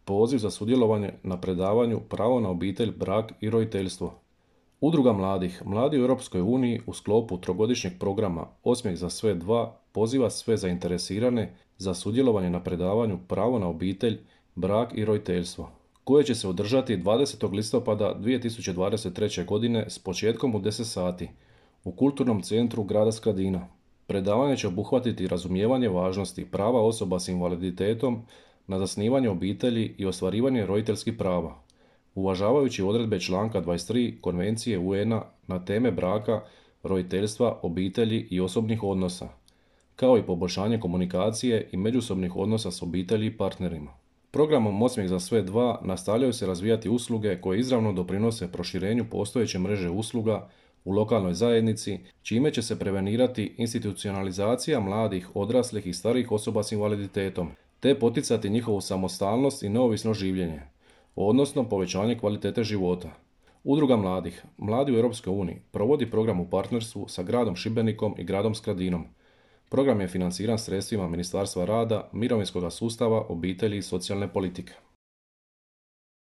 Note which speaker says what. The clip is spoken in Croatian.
Speaker 1: Poziv za sudjelovanje na predavanju Pravo na obitelj, brak i roditeljstvo. Udruga mladih, Mladi u Europskoj uniji u sklopu trogodišnjeg programa Osmijeh za sve 2 poziva sve zainteresirane za sudjelovanje na predavanju Pravo na obitelj, brak i roditeljstvo, koje će se održati 20. listopada 2023. godine s početkom u 10 sati u Kulturnom centru grada Skradina. Predavanje će obuhvatiti razumijevanje važnosti prava osoba s invaliditetom na zasnivanje obitelji i ostvarivanje roditeljskih prava, uvažavajući odredbe članka 23 Konvencije UN-a na teme braka, roditeljstva, obitelji i osobnih odnosa, kao i poboljšanje komunikacije i međusobnih odnosa s obitelji i partnerima. Programom Osmijeh za sve 2 nastavljaju se razvijati usluge koje izravno doprinose proširenju postojeće mreže usluga u lokalnoj zajednici, čime će se prevenirati institucionalizacija mladih, odraslih i starijih osoba s invaliditetom, te poticati njihovu samostalnost i neovisno življenje, odnosno povećanje kvalitete života. Udruga mladih, Mladi u Europskoj uniji, provodi program u partnerstvu sa gradom Šibenikom i gradom Skradinom. Program je financiran sredstvima Ministarstva rada, mirovinskog sustava, obitelji i socijalne politike.